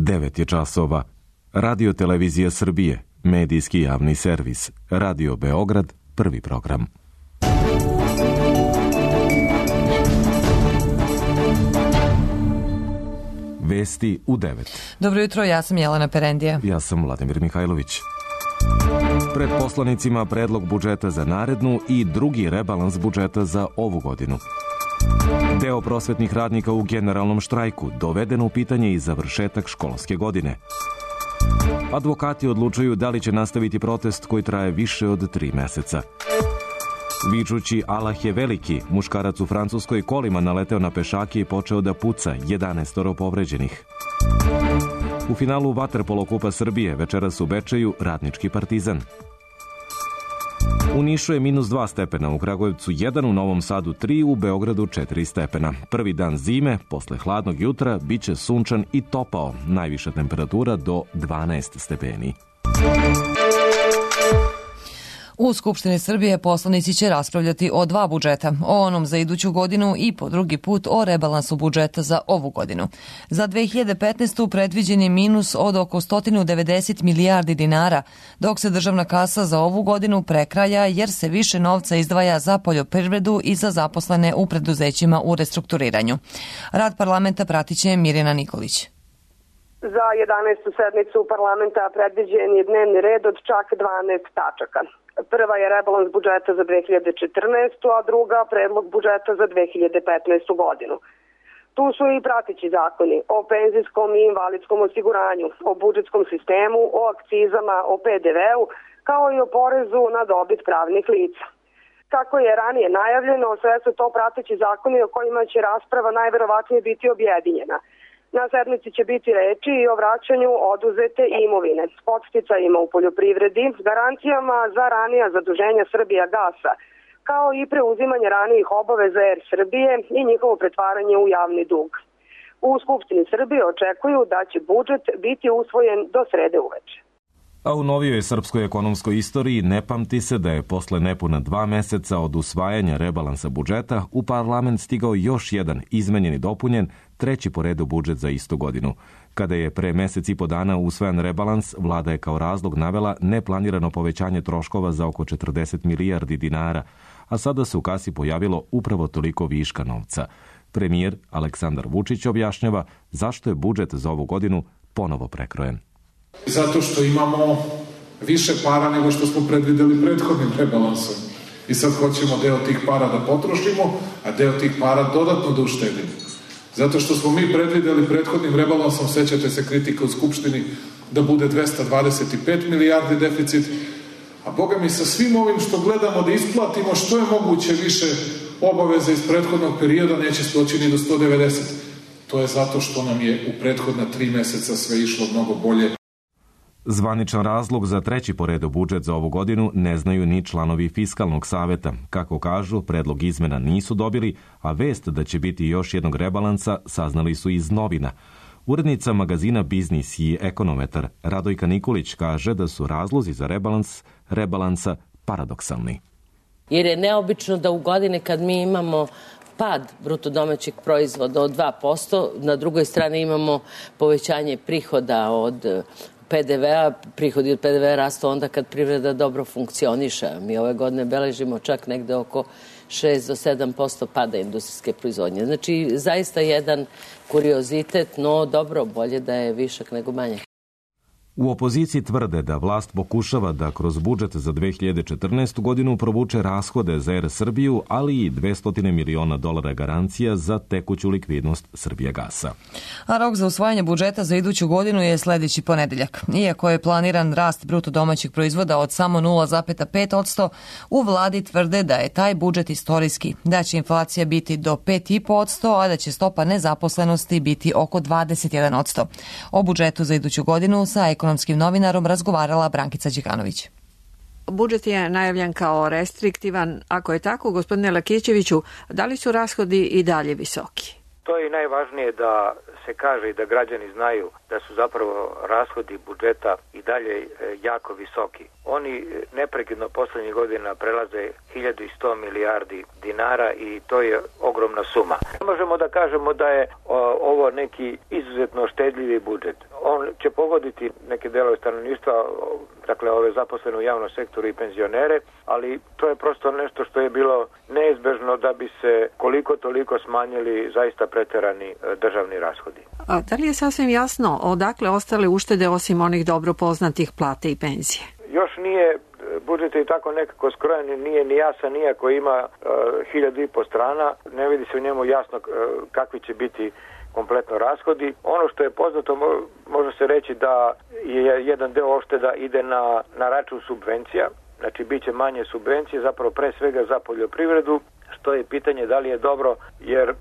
9 je časova. Radio Televizija Srbije, medijski javni servis. Radio Beograd, prvi program. Vesti u 9. Dobro jutro, ja sam Jelena Perendija. Ja sam Vladimir Mihajlović. Pred poslanicima predlog budžeta za narednu i drugi rebalans budžeta za ovu godinu. Deo prosvetnih radnika u generalnom štrajku, doveden u pitanje i završetak školske godine. Advokati odlučuju da li će nastaviti protest koji traje više od 3 meseca. Vičući Allah je veliki, muškarac u Francuskoj kolima naleteo na pešake i počeo da puca, 11 povređenih. U finalu vaterpolo Kupa Srbije večeras u Bečeju Radnički Partizan. U Nišu je -2 stepena, u Kragujevcu 1, u Novom Sadu 3, u Beogradu 4 stepena. Prvi dan zime, posle hladnog jutra, biće sunčan i topao, najviša temperatura do 12 stepeni. U Skupštini Srbije poslanici će raspravljati o 2 budžeta, o onom za iduću godinu i po drugi put o rebalansu budžeta za ovu godinu. Za 2015. predviđen je minus od oko 190 milijardi dinara, dok se državna kasa za ovu godinu prekraja jer se više novca izdvaja za poljoprivredu i za zaposlene u preduzećima u restrukturiranju. Rad parlamenta pratiće Mirjana Nikolić. Za 11. sednicu parlamenta predviđen je dnevni red od čak 12 tačaka. Prva je rebalans budžeta za 2014. a druga predlog budžeta za 2015. godinu. Tu su i prateći zakoni o penzijskom i invalidskom osiguranju, o budžetskom sistemu, o akcizama, o PDV-u, kao i o porezu na dobit pravnih lica. Kako je ranije najavljeno, sve su to prateći zakoni o kojima će rasprava najverovatnije biti objedinjena. Na sednici će biti reči i o vraćanju oduzete imovine, podsticajima u poljoprivredi, garancijama za ranija zaduženja Srbijagasa, kao i preuzimanje ranijih obaveza Er Srbije i njihovo pretvaranje u javni dug. U Skupštini Srbije očekuju da će budžet biti usvojen do srede uveče. A u novijoj srpskoj ekonomskoj istoriji ne pamti se da je posle nepuna 2 meseca od usvajanja rebalansa budžeta u parlament stigao još jedan izmenjen i dopunjen, 3. po redu budžet za istu godinu. Kada je pre mesec i po dana usvojen rebalans, vlada je kao razlog navela neplanirano povećanje troškova za oko 40 milijardi dinara, a sada se u kasi pojavilo upravo toliko viška novca. Premijer Aleksandar Vučić objašnjava zašto je budžet za ovu godinu ponovo prekrojen. Zato što imamo više para nego što smo predvideli prethodnim rebalansom. I sad hoćemo deo tih para da potrošimo, a deo tih para dodatno da uštedimo. Zato što smo mi predvideli prethodnim rebalansom, sećate se kritika u Skupštini, da bude 225 milijardi deficit, a Boga mi sa svim ovim što gledamo da isplatimo što je moguće više obaveza iz prethodnog perioda neće stoći ni do 190. To je zato što nam je u prethodna 3 meseca sve išlo mnogo bolje. Zvaničan razlog za 3. po redu budžet za ovu godinu ne znaju ni članovi Fiskalnog saveta. Kako kažu, predlog izmena nisu dobili, a vest da će biti još jednog rebalansa saznali su iz novina. Urednica magazina Biznis i ekonometar Radojka Nikolić kaže da su razlozi za rebalansa paradoksalni. Jer je neobično da u godine kad mi imamo pad bruto domaćeg proizvoda od 2%, na drugoj strani imamo povećanje prihoda od PDV-a, prihodi od PDV-a rastu onda kad privreda dobro funkcioniše. Mi ove godine beležimo čak negde oko 6 do 7% pada industrijske proizvodnje. Znači, zaista jedan kuriozitet, no dobro, bolje da je višak nego manje. U opoziciji tvrde da vlast pokušava da kroz budžet za 2014. godinu provuče rashode za Er Srbiju, ali i $200 miliona garancija za tekuću likvidnost Srbijagasa. A rok za usvajanje budžeta za iduću godinu je sledeći ponedeljak. Iako je planiran rast bruto domaćeg proizvoda od samo 0,5%, u vladi tvrde da je taj budžet istorijski, da će inflacija biti do 5,5%, a da će stopa nezaposlenosti biti oko 21%. O budžetu za iduću godinu sa ekonomskim novinarom razgovarala Brankica Đikanović. Budžet je najavljan kao restriktivan. Ako je tako, gospodine Lakićeviću, da li su rashodi i dalje visoki? To je najvažnije da se kaže i da građani znaju da su zapravo rashodi budžeta i dalje jako visoki. Oni neprekidno poslednjih godina prelaze 1100 milijardi dinara i to je ogromna suma. Ne možemo da kažemo da je ovo neki izuzetno štedljivi budžet. On će pogoditi neke delove stanovništva, dakle ove zaposlene u javnom sektoru i penzionere, ali to je prosto nešto što je bilo neizbežno da bi se koliko toliko smanjili zaista preterani državni rashodi. A da li je sasvim jasno odakle ostale uštede osim onih dobro poznatih plate i penzije? Još nije, budžet je tako nekako skrojen, nije ni jasan, nijako ima 1500 strana, ne vidi se u njemu jasno kakvi će biti kompletno rashodi. Ono što je poznato, može se reći da je jedan deo ušteda ide na račun subvencija, znači bit će manje subvencije, zapravo pre svega za poljoprivredu, što je pitanje da li je dobro, jer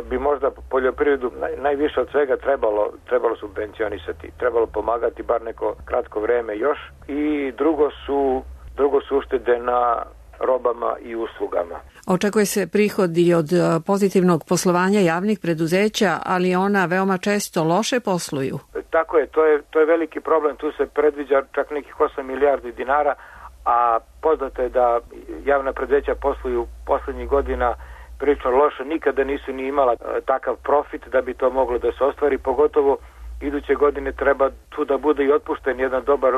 bi možda poljoprivredu najviše od svega trebalo subvencionisati, trebalo pomagati bar neko kratko vreme još. I drugo su uštede na robama i uslugama. Očekuje se prihodi od pozitivnog poslovanja javnih preduzeća, ali ona veoma često loše posluju. Tako je, to je veliki problem, tu se predviđa čak nekih 8 milijardi dinara, a poznato je da javna preduzeća posluju poslednjih godina prilično loše, nikada nisu ni imala takav profit da bi to moglo da se ostvari, pogotovo iduće godine treba tu da bude i otpušten jedan dobar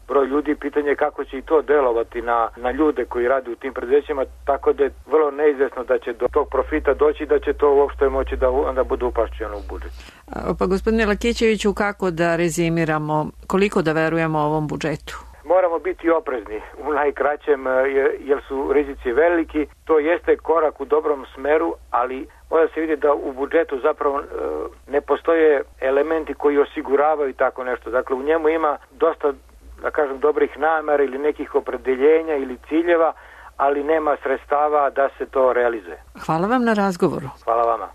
broj ljudi, pitanje je kako će i to delovati na ljude koji rade u tim preduzećima, tako da je vrlo neizvesno da će do tog profita doći, da će to uopšte moći da onda bude upašćeno u budžet. Pa gospodine Lakićeviću, kako da rezimiramo, koliko da verujemo ovom budžetu? Moramo biti oprezni u najkraćem, jer su rizici veliki. To jeste korak u dobrom smeru, ali mora se vidjeti da u budžetu zapravo ne postoje elementi koji osiguravaju tako nešto. Dakle, u njemu ima dosta, da kažem, dobrih namera ili nekih opredeljenja ili ciljeva, ali nema sredstava da se to realizuje. Hvala vam na razgovoru. Hvala vama.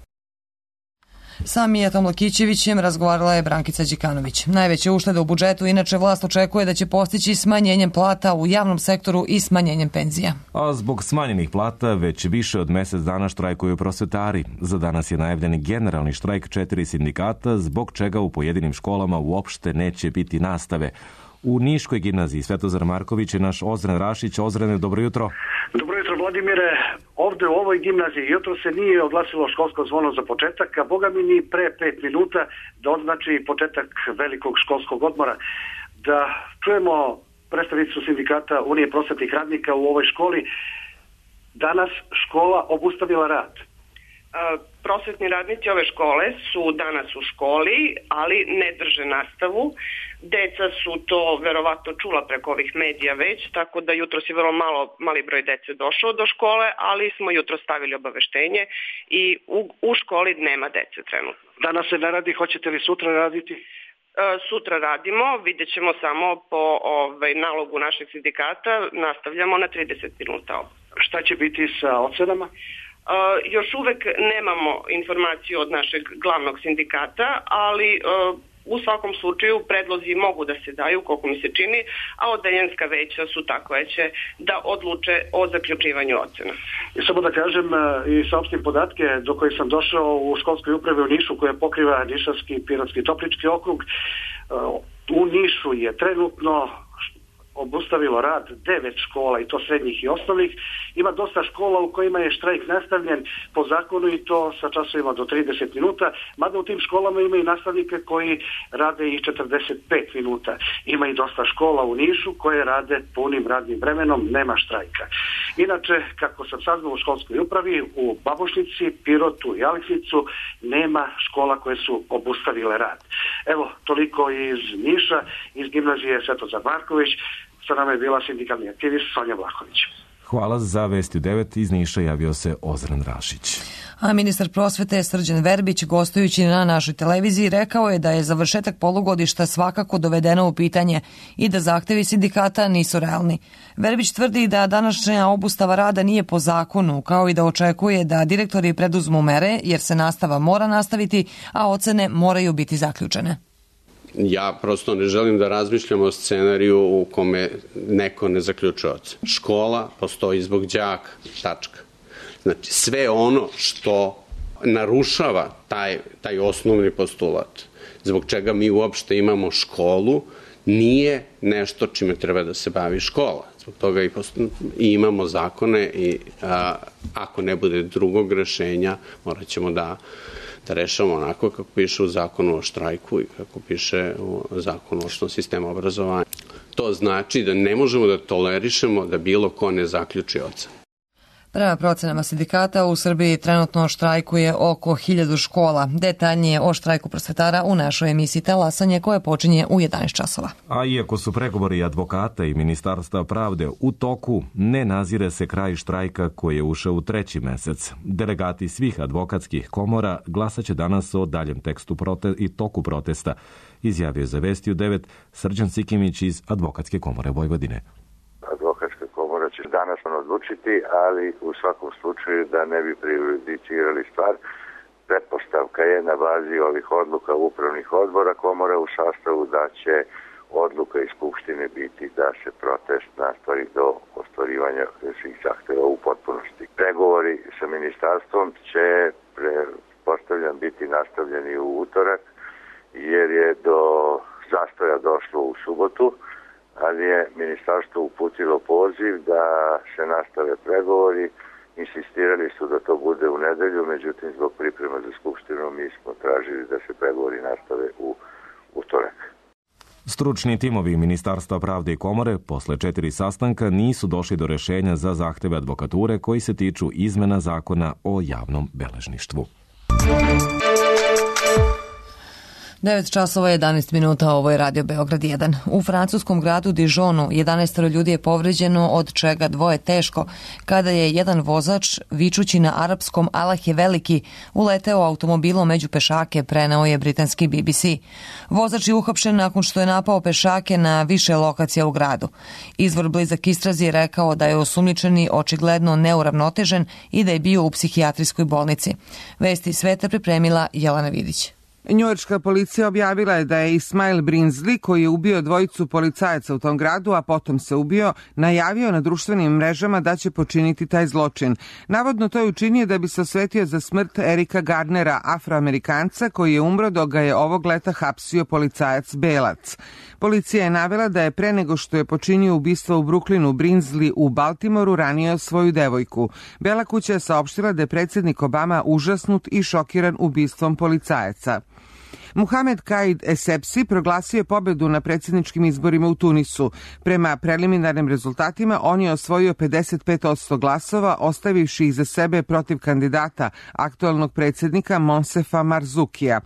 Sa Mijatom Lakićevićem razgovarala je Brankica Đikanović. Najveće uštede u budžetu inače vlast očekuje da će postići smanjenjem plata u javnom sektoru i smanjenjem penzija. A zbog smanjenih plata već više od mesec dana štrajkuju prosvetari. Za danas je najavljen generalni štrajk 4 sindikata, zbog čega u pojedinim školama uopšte neće biti nastave. U Niškoj gimnaziji Svetozar Marković je naš Ozren Rašić. Ozrene, dobro jutro. Dobro jutro, Vladimire. Ovde u ovoj gimnaziji jutro se nije oglasilo školsko zvono za početak, a boga mi ni pre 5 minuta da označi početak velikog školskog odmora. Da čujemo predstavnicu sindikata Unije prosvetnih radnika u ovoj školi. Danas škola obustavila rad. Prosvetni radnici ove škole su danas u školi, ali ne drže nastavu. Deca su to verovatno čula preko ovih medija već, tako da jutro je vrlo mali broj dece došao do škole, ali smo jutro stavili obaveštenje i u školi nema dece trenutno. Danas se ne radi, hoćete li sutra raditi? Sutra radimo, vidjet ćemo samo po nalogu našeg sindikata, nastavljamo na 30 minuta. Šta će biti sa ocenama? Još uvek nemamo informaciju od našeg glavnog sindikata, ali u svakom slučaju predlozi mogu da se daju, koliko mi se čini, a odeljenska veća su takveće da odluče o zaključivanju ocena. I samo da kažem i saopštim podatke do kojih sam došao u školskoj upravi u Nišu, koja pokriva Nišavski, Pirotski i Toplički okrug. U Nišu je trenutno obustavilo rad 9 škola, i to srednjih i osnovnih. Ima dosta škola u kojima je štrajk nastavljen po zakonu, i to sa časovima do 30 minuta, mada u tim školama ima i nastavnike koji rade i 45 minuta. Ima i dosta škola u Nišu koje rade punim radnim vremenom, nema štrajka. Inače, kako sam saznao u školskoj upravi, u Babušnici, Pirotu i Aleksinicu nema škola koje su obustavile rad. Evo, toliko iz Niša, iz gimnazije Svetozar Marković. Sa nama je bila sindikalni aktivist Sonja Vlahović. Hvala. Za Vesti u 9 iz Niša javio se Ozren Rašić. A ministar prosvete Srđan Verbić, gostujući na našoj televiziji, rekao je da je završetak polugodišta svakako dovedeno u pitanje i da zahtevi sindikata nisu realni. Verbić tvrdi da današnja obustava rada nije po zakonu, kao i da očekuje da direktori preduzmu mere, jer se nastava mora nastaviti, a ocene moraju biti zaključene. Ja prosto ne želim da razmišljam o scenariju u kome neko ne zaključuje ocenu. Škola postoji zbog đaka, tačka. Znači, sve ono što narušava taj osnovni postulat, zbog čega mi uopšte imamo školu, nije nešto čime treba da se bavi škola. Zbog toga i imamo zakone i ako ne bude drugog rešenja, morat ćemo da da rešavamo onako kako piše u zakonu o štrajku i kako piše u zakonu o osnovnom sistemu obrazovanja. To znači da ne možemo da tolerišemo da bilo ko ne zaključi ocen. Prema procenama sindikata u Srbiji trenutno štrajkuje oko 1000 škola. Detaljnije o štrajku prosvetara u našoj emisiji Talasanje koje počinje u 11 časova. A iako su pregovori advokata i Ministarstva pravde u toku, ne nazire se kraj štrajka koji je ušao u 3. mesec. Delegati svih advokatskih komora glasaće danas o daljem tekstu i toku protesta, izjavio za Vesti u 9 Srđan Sikimić iz Advokatske komore Vojvodine. Advokatska komora će danas odlučiti, ali u svakom slučaju da ne bi prejudicirali stvar, pretpostavka je na bazi ovih odluka upravnih odbora komora u sastavu da će odluka iz Skupštine biti da se protest nastavi do ostvarivanja svih zahteva u potpunosti. Pregovori sa ministarstvom će, pretpostavljam, biti nastavljeni u utorak, jer je do zastoja došlo u subotu, ali je ministarstvo uputilo poziv da se nastave pregovori. Insistirali su da to bude u nedelju, međutim zbog priprema za Skupštinu mi smo tražili da se pregovori nastave u utorak. Stručni timovi Ministarstva pravde i komore posle 4 sastanka nisu došli do rešenja za zahteve advokature koji se tiču izmena zakona o javnom beležništvu. 9 časova 11 minuta, ovo je Radio Beograd 1. U francuskom gradu Dijonu 11 ljudi je povređeno, od čega 2 teško, kada je jedan vozač, vičući na arapskom Allah je veliki, uleteo automobilom među pešake, preneo je britanski BBC. Vozač je uhapšen nakon što je napao pešake na više lokacija u gradu. Izvor blizak istrazi je rekao da je osumnjičeni očigledno neuravnotežen i da je bio u psihijatrijskoj bolnici. Vesti sveta pripremila Jelena Vidić. Njujorška policija objavila je da je Ismail Brinsley, koji je ubio 2 policajaca u tom gradu, a potom se ubio, najavio na društvenim mrežama da će počiniti taj zločin. Navodno to je učinio da bi se osvetio za smrt Erika Gardnera, Afroamerikanca, koji je umro dok ga je ovog leta hapsio policajac Belac. Policija je navela da je pre nego što je počinio ubistvo u Brooklynu, Brinsley u Baltimoru ranio svoju devojku. Bela kuća je saopštila da je predsjednik Obama užasnut i šokiran ubistvom policajaca. Muhamed Kaid Essebsi proglasio je pobedu na predsjedničkim izborima u Tunisu. Prema preliminarnim rezultatima on je osvojio 55% glasova, ostavivši iza sebe protiv kandidata aktualnog predsjednika Monsefa Marzukija.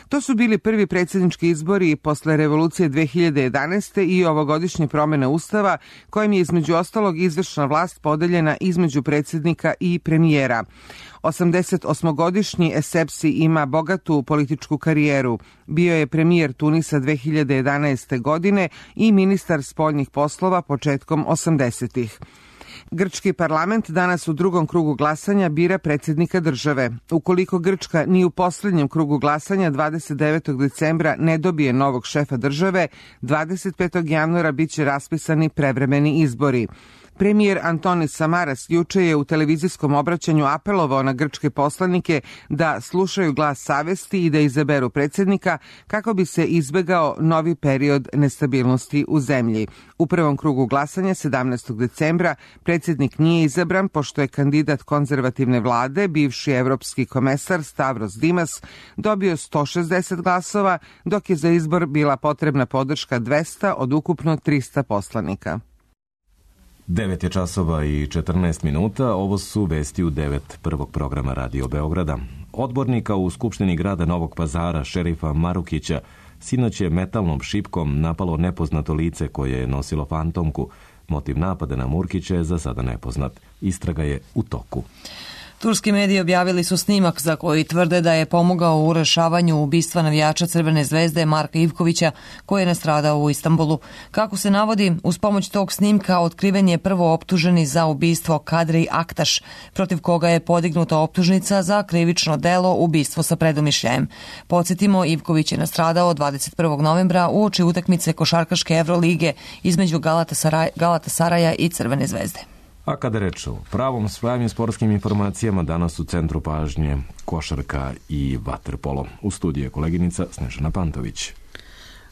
To su bili prvi predsjednički izbori posle revolucije 2011. i ovogodišnje promjene ustava, kojim je između ostalog izvršna vlast podeljena između predsjednika i premijera. 88-godišnji Essebsi ima bogatu političku karijeru. Bio je premijer Tunisa 2011. godine i ministar spoljnih poslova početkom 80-ih. Grčki parlament danas u drugom krugu glasanja bira predsjednika države. Ukoliko Grčka ni u posljednjem krugu glasanja 29. decembra ne dobije novog šefa države, 25. januara biće raspisani prevremeni izbori. Premijer Antonis Samaras juče je u televizijskom obraćanju apelovao na grčke poslanike da slušaju glas savesti i da izaberu predsjednika kako bi se izbegao novi period nestabilnosti u zemlji. U prvom krugu glasanja 17. decembra predsjednik nije izabran pošto je kandidat konzervativne vlade, bivši evropski komesar Stavros Dimas, dobio 160 glasova, dok je za izbor bila potrebna podrška 200 od ukupno 300 poslanika. 9 je časova i 14 minuta, ovo su vesti u 9 prvog programa Radio Beograda. Odbornika u Skupštini grada Novog Pazara, šerifa Marukića, sinoć je metalnom šipkom napalo nepoznato lice koje je nosilo fantomku. Motiv napada na Murkića je za sada nepoznat. Istraga je u toku. Turski mediji objavili su snimak za koji tvrde da je pomogao u rešavanju ubistva navijača Crvene zvezde Marka Ivkovića, koji je nastradao u Istanbulu. Kako se navodi, uz pomoć tog snimka otkriven je prvo optuženi za ubistvo Kadri Aktaš, protiv koga je podignuta optužnica za krivično delo ubistvo sa predumišljajem. Podsjetimo, Ivković je nastradao 21. novembra uoči utakmice košarkaške Evrolige između Galatasaraja i Crvene zvezde. A kada reč o pravim sportskim informacijama, danas u centru pažnje košarka i vaterpolo. U studiju je koleginica Snežana Pantović.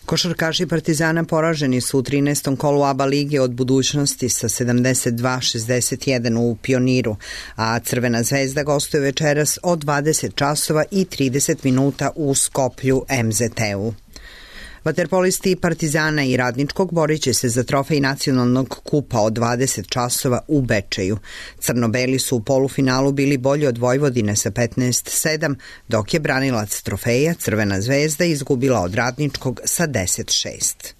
Košarkaši Partizana poraženi su u 13. kolu ABA lige od budućnosti sa 72-61 u Pioniru, a Crvena zvezda gostuje večeras od 20 časova i 30 minuta u Skoplju MZT-u. Vaterpolisti Partizana i Radničkog borit će se za trofej nacionalnog kupa od 20 časova u Bečeju. Crno-beli su u polufinalu bili bolji od Vojvodine sa 15-7, dok je branilac trofeja Crvena zvezda izgubila od Radničkog sa 10-6.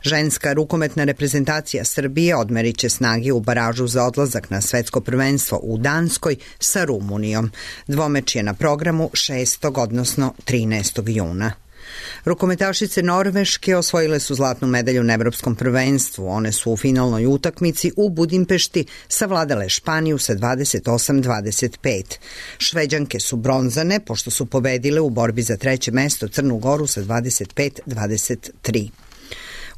Ženska rukometna reprezentacija Srbije odmerit će snage u baražu za odlazak na svetsko prvenstvo u Danskoj sa Rumunijom. Dvomeč je na programu 6. odnosno 13. juna. Rukometašice Norveške osvojile su zlatnu medalju na evropskom prvenstvu. One su u finalnoj utakmici u Budimpešti savladale Španiju sa 28-25. Šveđanke su bronzane pošto su pobedile u borbi za treće mesto Crnu Goru sa 25-23.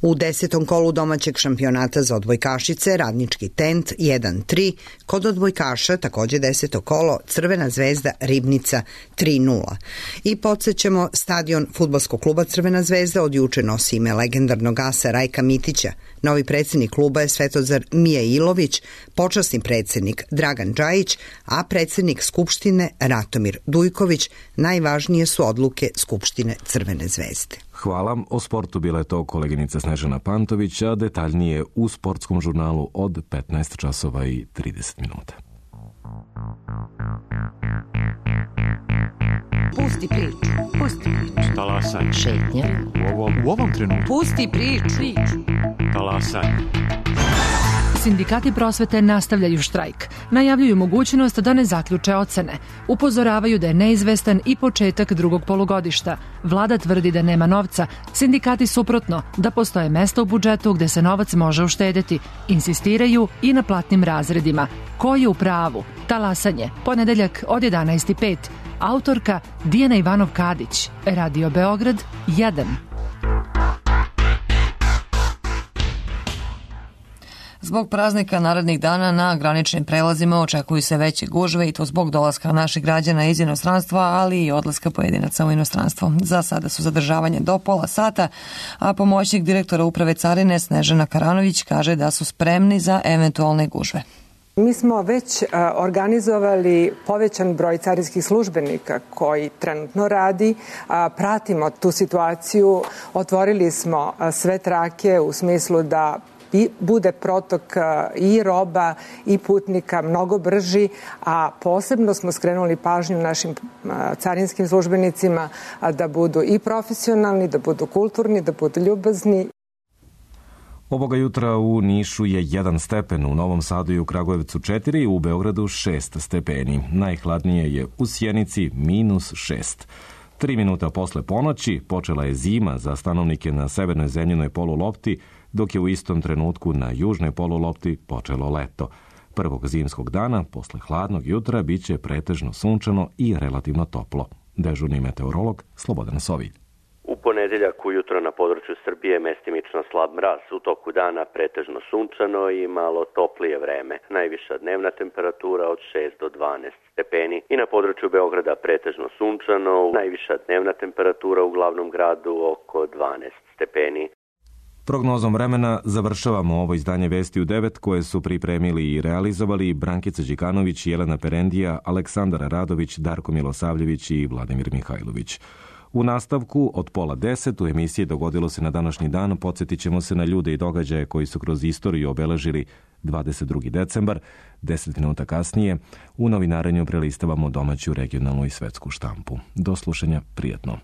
U 10. kolu domaćeg šampionata za odbojkašice Radnički Tent 1-3, kod odbojkaša takođe 10. kolo Crvena zvezda Ribnica 3-0. I podsjećamo, stadion fudbalskog kluba Crvena zvezda od juče nosi ime legendarnog asa Rajka Mitića. Novi predsednik kluba je Svetozar Mijailović, počasni predsednik Dragan Džajić, a predsednik Skupštine Ratomir Dujković. Najvažnije su odluke Skupštine Crvene zvezde. Hvala. O sportu bila je to koleginica Snežana Pantović, a detaljnije u sportskom žurnalu od 15 časova i 30 minuta. Pusti priču. Pusti priču. Talasaj. Šetnja. U ovom trenutku. Pusti priču. Talasaj. Sindikati prosvete nastavljaju štrajk. Najavljuju mogućnost da ne zaključe ocene. Upozoravaju da je neizvestan i početak drugog polugodišta. Vlada tvrdi da nema novca. Sindikati suprotno, da postoje mesta u budžetu gde se novac može uštedeti. Insistiraju i na platnim razredima. Ko je u pravu? Talasanje. Ponedeljak od 11:05. Autorka Dijana Ivanov-Kadić. Radio Beograd 1. Zbog praznika narednih dana na graničnim prelazima očekuju se veće gužve i to zbog dolaska naših građana iz inostranstva, ali i odlaska pojedinaca u inostranstvo. Za sada su zadržavanje do pola sata, a pomoćnik direktora Uprave carine Snežana Karanović kaže da su spremni za eventualne gužve. Mi smo već organizovali povećan broj carinskih službenika koji trenutno radi. Pratimo tu situaciju. Otvorili smo sve trake u smislu da bude protok i roba i putnika mnogo brži, a posebno smo skrenuli pažnju našim carinskim službenicima da budu i profesionalni, da budu kulturni, da budu ljubazni. Ovoga jutra u Nišu je 1 stepen, u Novom Sadu i u Kragujevcu 4, u Beogradu 6 stepeni. Najhladnije je u Sjenici -6. 3 minuta posle ponoći počela je zima za stanovnike na severnoj zemljinoj polulopti, dok je u istom trenutku na južnoj polulopti počelo leto. Prvog zimskog dana, posle hladnog jutra, biće pretežno sunčano i relativno toplo. Dežurni meteorolog Slobodan Sovilj. U ponedeljak ujutro na području Srbije mestimično slab mraz, u toku dana pretežno sunčano i malo toplije vreme. Najviša dnevna temperatura od 6 do 12 stepeni i na području Beograda pretežno sunčano, najviša dnevna temperatura u glavnom gradu oko 12 stepeni. Prognozom vremena završavamo ovo izdanje Vesti u 9 koje su pripremili i realizovali Brankica Đikanović, Jelena Perendija, Aleksandar Radović, Darko Milosavljević i Vladimir Mihajlović. U nastavku od 9:30 u emisiji Dogodilo se na današnji dan podsjetit ćemo se na ljude i događaje koji su kroz istoriju obeležili 22. decembar. 10 minuta kasnije u novinarenju prelistavamo domaću, regionalnu i svetsku štampu. Do slušanja, prijatno.